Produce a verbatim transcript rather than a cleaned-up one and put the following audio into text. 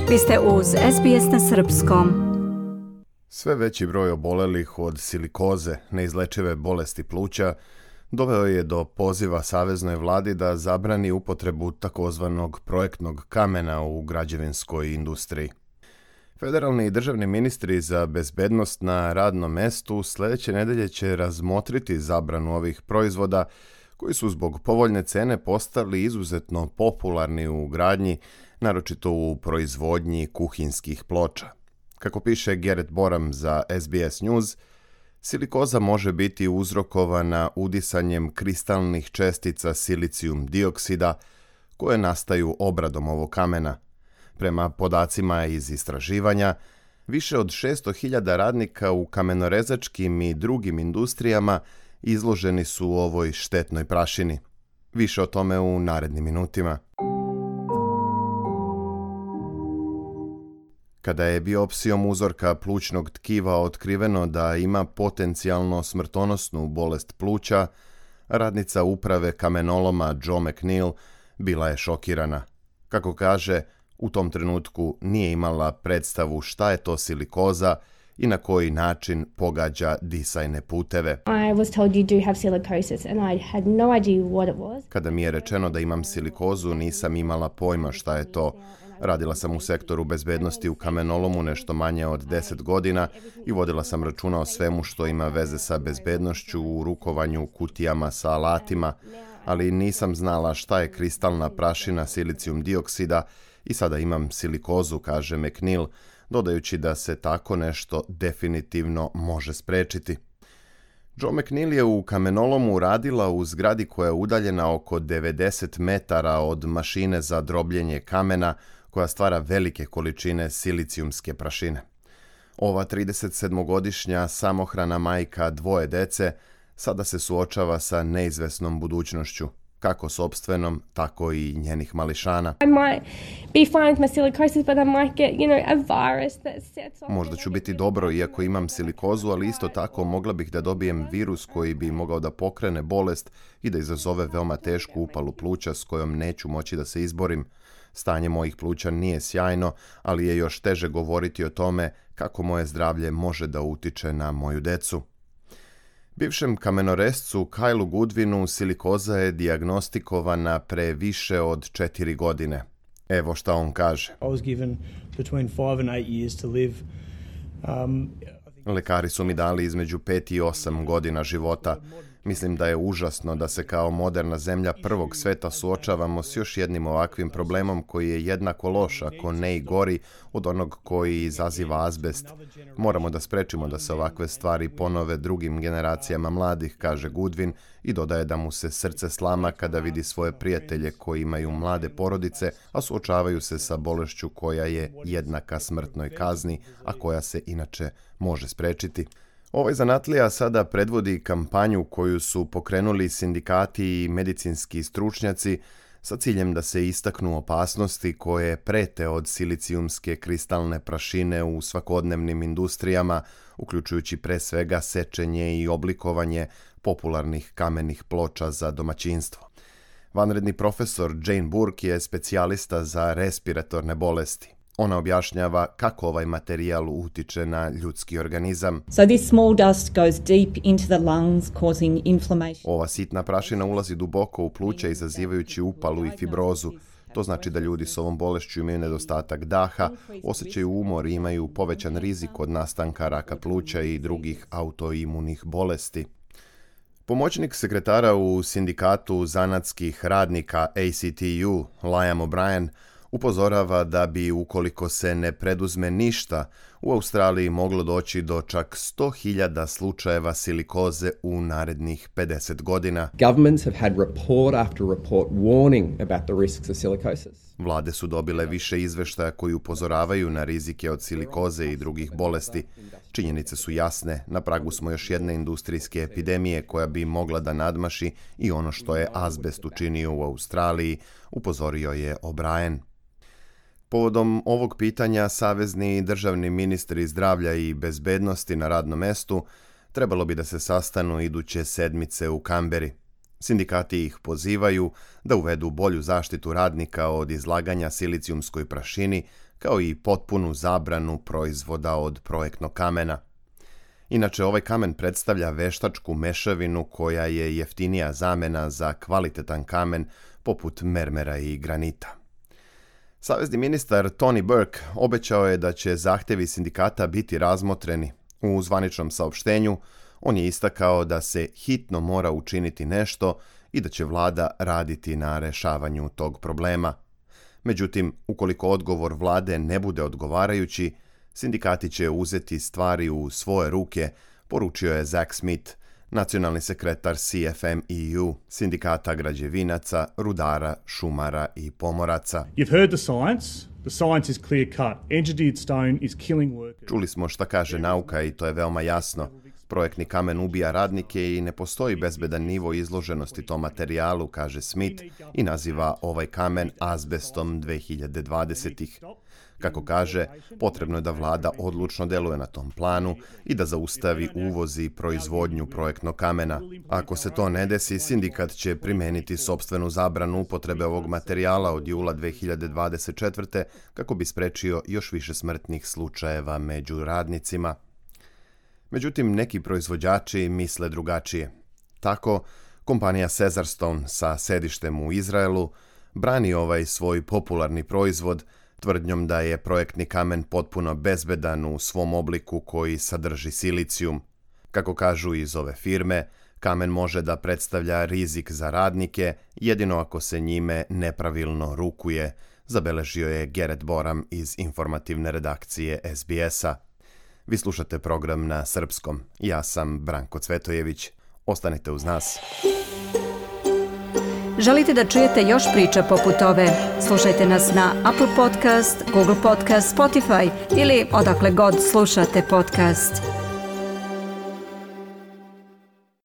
Vi ste uz S B S na srpskom. Sve veći broj obolelih od silikoze, neizlečive bolesti pluća, doveo je do poziva saveznoj vladi da zabrani upotrebu takozvanog projektnog kamena u građevinskoj industriji. Federalni i državni ministri za bezbednost na radnom mestu sljedeće nedelje će razmotriti zabranu ovih proizvoda koji su zbog povoljne cene postali izuzetno popularni u gradnji, naročito u proizvodnji kuhinskih ploča. Kako piše Garrett Boram za S B S News, silikoza može biti uzrokovana udisanjem kristalnih čestica silicijum dioksida koje nastaju obradom ovog kamena. Prema podacima iz istraživanja, više od šesto hiljada radnika u kamenorezačkim i drugim industrijama izloženi su ovoj štetnoj prašini. Više o tome u narednim minutima. Kada je biopsijom uzorka plućnog tkiva otkriveno da ima potencijalno smrtonosnu bolest pluća, radnica uprave kamenoloma Joe McNeil bila je šokirana. Kako kaže, u tom trenutku nije imala predstavu šta je to silikoza i na koji način pogađa disajne puteve. I was told you do have silicosis and I had no idea what it was. Kada mi je rečeno da imam silikozu, nisam imala pojma šta je to. Radila sam u sektoru bezbednosti u kamenolomu nešto manje od deset godina i vodila sam računa o svemu što ima veze sa bezbednošću u rukovanju kutijama sa alatima, ali nisam znala šta je kristalna prašina silicijum dioksida i sada imam silikozu, kaže McNeil, dodajući da se tako nešto definitivno može sprečiti. Joe McNeil je u kamenolomu radila u zgradi koja je udaljena oko devedeset metara od mašine za drobljenje kamena koja stvara velike količine silicijumske prašine. Ova tridesetsedmogodišnja samohrana majka dvoje dece sada se suočava sa neizvesnom budućnošću, kako sopstvenom, tako i njenih mališana. I might be fine with my silicosis, but I might get, you know, a virus that sets off. Možda ću biti dobro iako imam silikozu, ali isto tako mogla bih da dobijem virus koji bi mogao da pokrene bolest i da izazove veoma tešku upalu pluća s kojom neću moći da se izborim. Stanje mojih pluća nije sjajno, ali je još teže govoriti o tome kako moje zdravlje može da utiče na moju decu. Bivšem kamenorescu Kylu Goodwinu silikoza je dijagnostikovana pre više od četiri godine. Evo šta on kaže. I was given between five and eight years to live. Um, Lekari su mi dali između pet i osam godina života. Mislim da je užasno da se kao moderna zemlja prvog sveta suočavamo s još jednim ovakvim problemom koji je jednako loš, ako ne i gori, od onog koji izaziva azbest. Moramo da sprečimo da se ovakve stvari ponove drugim generacijama mladih, kaže Goodwin i dodaje da mu se srce slama kada vidi svoje prijatelje koji imaju mlade porodice, a suočavaju se sa bolešću koja je jednaka smrtnoj kazni, a koja se inače može sprečiti. Ovaj zanatlija sada predvodi kampanju koju su pokrenuli sindikati i medicinski stručnjaci sa ciljem da se istaknu opasnosti koje prete od silicijumske kristalne prašine u svakodnevnim industrijama, uključujući pre svega sečenje i oblikovanje popularnih kamenih ploča za domaćinstvo. Vanredni profesor Jane Burke je specijalista za respiratorne bolesti. Ona objašnjava kako ovaj materijal utiče na ljudski organizam. So this small dust goes deep into the lungs, causing inflammation. Ova sitna prašina ulazi duboko u pluća izazivajući upalu i fibrozu. To znači da ljudi s ovom bolešću imaju nedostatak daha, osjećaju umor i imaju povećan rizik od nastanka raka pluća i drugih autoimunih bolesti. Pomoćnik sekretara u sindikatu zanatskih radnika A C T U, Liam O'Brien, upozorava da bi, ukoliko se ne preduzme ništa, u Australiji moglo doći do čak sto hiljada slučajeva silikoze u narednih pedeset godina. Governments have had report after report warning about the risks of silicosis. Vlade su dobile više izveštaja koji upozoravaju na rizike od silikoze i drugih bolesti. Činjenice su jasne, na pragu smo još jedne industrijske epidemije koja bi mogla da nadmaši i ono što je azbest učinio u Australiji, upozorio je O'Brien. Povodom ovog pitanja savezni i državni ministri zdravlja i bezbednosti na radnom mestu trebalo bi da se sastanu iduće sedmice u Kamberi. Sindikati ih pozivaju da uvedu bolju zaštitu radnika od izlaganja silicijumskoj prašini kao i potpunu zabranu proizvoda od projektnog kamena. Inače, ovaj kamen predstavlja veštačku mešavinu koja je jeftinija zamena za kvalitetan kamen poput mermera i granita. Savezni ministar Tony Burke obećao je da će zahtjevi sindikata biti razmotreni. U zvaničnom saopštenju on je istakao da se hitno mora učiniti nešto i da će vlada raditi na rešavanju tog problema. Međutim, ukoliko odgovor vlade ne bude odgovarajući, sindikati će uzeti stvari u svoje ruke, poručio je Zach Smith, nacionalni sekretar C F M E U, sindikata građevinaca, rudara, šumara i pomoraca. You've heard the science. The science is clear cut. Engineered stone is killing workers. Čuli smo šta kaže nauka i to je veoma jasno. Projektni kamen ubija radnike i ne postoji bezbedan nivo izloženosti tom materijalu, kaže Smith i naziva ovaj kamen azbestom dve hiljade dvadesetih. Kako kaže, potrebno je da vlada odlučno deluje na tom planu i da zaustavi uvoz i proizvodnju projektnog kamena. Ako se to ne desi, sindikat će primeniti sopstvenu zabranu upotrebe ovog materijala od jula dve hiljade dvadeset četvrte kako bi sprečio još više smrtnih slučajeva među radnicima. Međutim, neki proizvođači misle drugačije. Tako, kompanija Caesarstone sa sedištem u Izraelu brani ovaj svoj popularni proizvod tvrdnjom da je projektni kamen potpuno bezbedan u svom obliku koji sadrži silicijum. Kako kažu iz ove firme, kamen može da predstavlja rizik za radnike jedino ako se njime nepravilno rukuje, zabeležio je Gerrit Boram iz informativne redakcije S B S-a. Vi slušate program na srpskom. Ja sam Branko Cvetojević. Ostanite uz nas. Želite da čujete još priča poput ove? Slušajte nas na Apple Podcast, Google Podcast, Spotify ili odakle god slušate podcast.